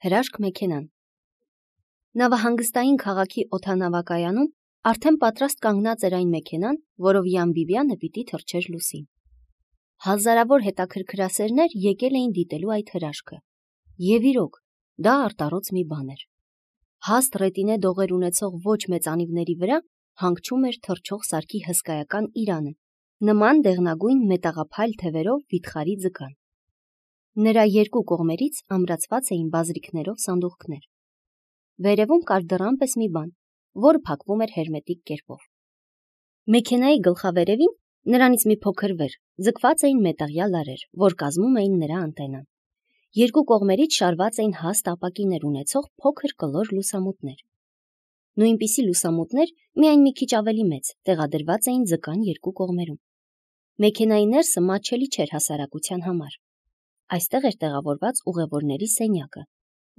Հրաշք մեքենան։ Նավահանգստային քաղաքի օդանավակայանում արդեն պատրաստ կանգնած էր այն մեքենան, որով Յան Բիբյանը պիտի թռչեր լուսին։ Հազարավոր հետաքրքրասերներ եկել էին դիտելու այդ հրաշքը։ Եվ իրոք, դա արտառոց մի բան էր։ Հաստ ռետինե դողեր ունեցող ոչ մեծ անիվների վրա հանգչում էր թռչող սարքի հսկայական իրանը, նման դեղնագույն մետաղափայլ թևերով վիթխարի ձկան։ Նրա երկու կողմերից ամրացված էին բազրիքներով սանդուղքներ։ Վերևում կար դռան պես մի բան, որը փակվում էր հերմետիկ կերպով։ Մեքենայի գլխավերևին, նրանից մի փոքր վեր, ձգված էին մետաղյա լարեր, որ կազմում էին նրա անտենան։ Երկու կողմերից շարված էին հաստ ապակիներ ունեցող փոքր կլոր լուսամուտներ։ Նույնպիսի լուսամուտներ, միայն մի քիչ ավելի մեծ, տեղադրված էին ձկան երկու կողմերում։ Մեքենայի ներսը մատչելի չէր հասարակության համար։ Այստեղ էր տեղավորված ուղևորների սենյակը,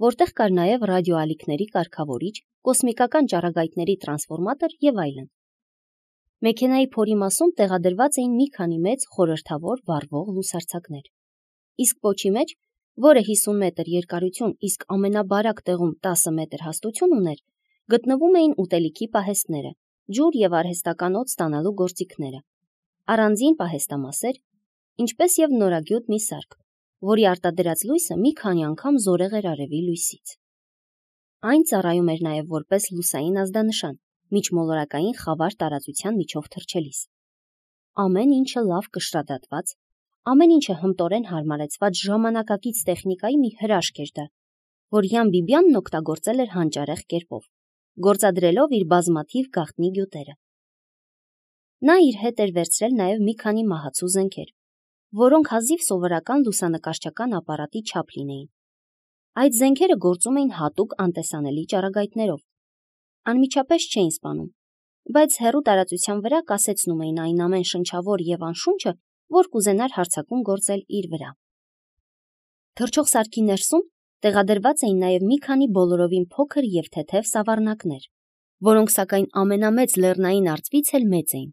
որտեղ կար նաև ռադիոալիքների կարգավորիչ, կոսմիկական ճառագայթների տրանսֆորմատոր եւ այլն։ Մեքենայի փորի մասում տեղադրված էին մի քանի մեծ խորհրդավոր վառվող լուսարձակներ։ Իսկ պոչի մեջ, որը 50 մետր երկարություն, իսկ ամենաբարակ տեղում 10 մետր հաստություն ուներ, գտնվում էին ուտելիքի պահեստները, ջուր եւ արհեստական օդ ստանալու գործիքները, առանձին պահեստամասեր, ինչպես եւ նորագյուտ մի սարք, որի արտադրած լույսը մի քանի անգամ զորեղ էր արևի լույսից։ Այն ծառայում էր նաև որպես լուսային ազդանշան, միջմոլորակային խավար տարածության միջով թռչելիս։ Ամեն ինչը լավ կշռադատված, ամեն ինչը հմտորեն հարմարեցված ժամանակակից տեխնիկայի մի հրաշք էր դա, որ Յան Բիբյանն օգտագործել էր հանճարեղ կերպով, գործադրելով իր բազմաթիվ գաղտնի գյուտերը։ Նա իր հետ էր վերցրել նաև մի քանի մահացու զենքեր, որոնք հազիվ սովորական լուսանկարչական ապարատի չափ լինեին։ Այդ զենքերը գործում էին հատուկ անտեսանելի ճառագայթներով։ Անմիջապես չէին սպանում, բայց հեռու տարածության վրա կասեցնում էին այն ամեն շնչավոր եւ անշունչը, որ կուզենար հարձակում գործել իր վրա։ Թռչող սարքի ներսում տեղադրված էին նաև մի քանի բոլորովին փոքր եւ թեթև սավառնակներ, որոնք սակայն ամենամեծ լեռնային արծվից էլ մեծ էին։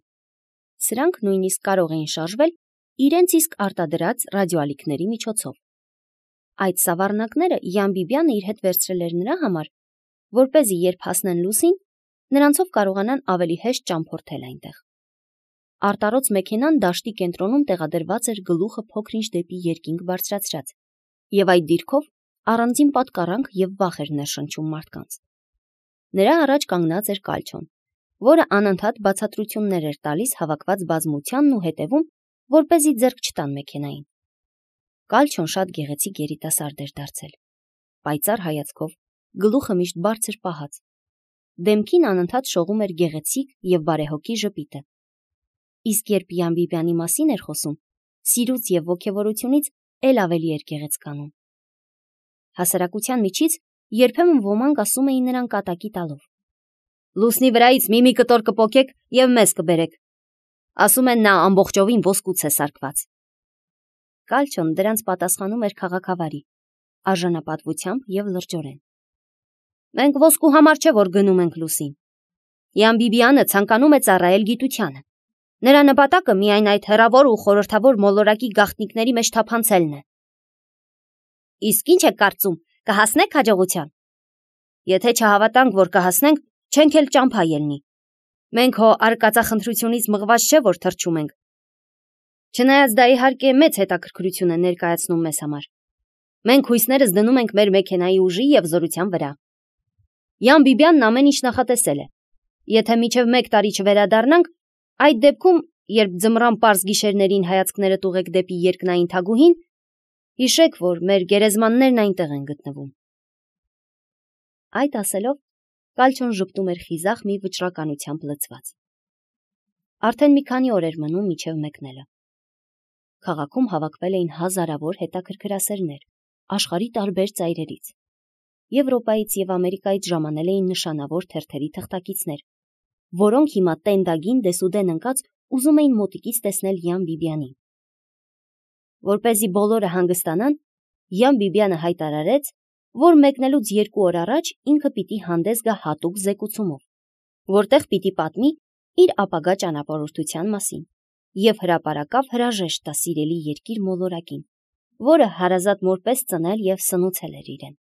Սրանք նույնիսկ կարող էին շարժվել իրենց իսկ արտադրած ռադիոալիքների միջոցով։ Այդ սավառնակները Յան Բիբյանը իր հետ վերցրել էր նրա համար, որպեսզի երբ հասնեն լուսին, նրանցով կարողանան ավելի հեշտ ճամփորդել այնտեղ։ Արտառոց մեքենան դաշտի կենտրոնում տեղադրված էր գլուխը փոքր-ինչ դեպի երկինք բարձրացրած, եւ այդ դիրքով առանձին պատկառանք եւ վախ էր ներշնչում մարդկանց։ Նրա առաջ կանգնած էր Կալչոն, որը անընդհատ բացատրություններ էր տալիս հավաքված բազմությանն ու հետևում, որպեսզի ձեռք չտան մեքենային։ Կալչոն շատ գեղեցիկ երիտասարդ էր դարձել, պայծառ հայացքով, գլուխը միշտ բարձր պահած։ Դեմքին անընդհատ շողում էր գեղեցիկ եւ բարեհոգի ժպիտը։ Իսկ երբ Յան Բիբյանի մասին էր խոսում, սիրուց եւ ոգևորությունից էլ ավելի էր գեղեցկանում։ Հասարակության միջից երբեմն ոմանք ասում էին նրան կատակի տալով. «Լուսնի վրայից մի կտոր կպոկեք եւ մեզ կբերեք։ Ասում են նա ամբողջովին ոսկուց է սարքված»։ Կալչոն դրանց պատասխանում էր քաղաքավարի, արժանապատվությամբ եւ լրջորեն. «Մենք ոսկու համար չէ, որ գնում ենք լուսին։ Յան Բիբյանը ցանկանում է ծառայել գիտությանը։ Նրա նպատակը միայն այդ հեռավոր ու խորհրդավոր մոլորակի գաղտնիքների մեջ թափանցելն է»։ «Իսկ ինչ եք կարծում, կհասնեք հաջողության»։ «Եթե չհավատանք, որ կհասնենք, չենք էլ ճամփա ելնի։ Մենք հո արկածախնդրությունից մղված չէ, որ թռչում ենք։ Չնայած դա իհարկե մեծ հետաքրքրություն է ներկայացնում մեզ համար։ Մենք հույսներս դնում ենք մեր մեքենայի ուժի եւ զորության վրա։ Յան Բիբյանն ամեն ինչ նախատեսել է։ Եթե մինչև 1 տարի չվերադառնանք, այդ դեպքում, երբ ձմռան պարզ գիշերներին հայացքներդ ուղեք դեպի երկնային թագուհին, հիշեք, որ մեր գերեզմաններն այնտեղ են գտնվում»։ Այդ ասելով, Կալչոն ժպտում էր խիզախ մի վճռականությամբ լցված։ Արդեն մի քանի օր էր մնում մինչև մեկնելը։ Քաղաքում հավաքվել էին հազարավոր հետաքրքրասերներ աշխարհի տարբեր ծայրերից։ Եվրոպայից եւ Ամերիկայից ժամանել էին նշանավոր թերթերի թղթակիցներ, որոնք հիմա տենդագին դեսուդեն ընկած ուզում էին մոտիկից տեսնել Յան Բիբյանին։ Որպեսզի բոլորը հանգստանան, Յան Բիբյանը հայտարարեց, որ մեկնելուց 2 օր առաջ ինքը պիտի հանդես գա հատուկ զեկուցումով, որտեղ պիտի պատմի իր ապագա ճանապարհորդության մասին եւ հրապարակավ հրաժեշտ տա սիրելի երկիր մոլորակին, որը հարազատ մոր պես ծնել եւ սնուցել էր իրեն։